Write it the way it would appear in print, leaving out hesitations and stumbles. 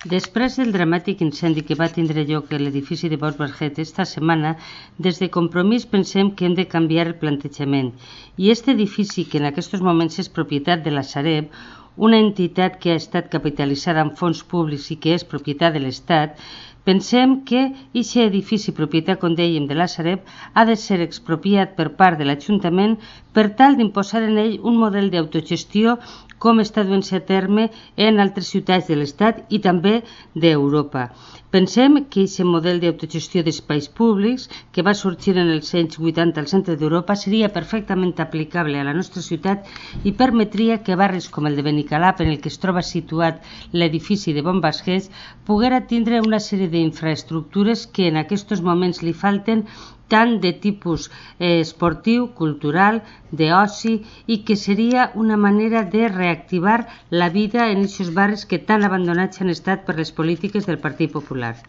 Després del dramàtic incendi que va tindre lloc a l'edifici de Bosch Barget esta setmana, des de Compromís pensem que hem de canviar el plantejament. I aquest edifici, que en aquests moments és propietat de la Sareb, una entitat que ha estat capitalitzada amb fons públics i que és propietat de l'Estat, pensem que aquest edifici, propietat, com dèiem, de la Sareb, ha de ser expropiat per part de l'Ajuntament per tal d'imposar en ell un model d'autogestió com està duent-se a terme en altres ciutats de l'Estat i també d'Europa. Pensem que aquest model d'autogestió d'espais públics que va sorgir en els anys 80 al centre d'Europa seria perfectament aplicable a la nostra ciutat i permetria que barris com el de Benicalap, en el que es troba situat l'edifici de Bosch Barget, poguera tindre una sèrie d'infraestructures que en aquests moments li falten, tant de tipus esportiu, cultural, d'oci, i que seria una manera de reactivar la vida en aquests barris que tan abandonats han estat per les polítiques del Partit Popular.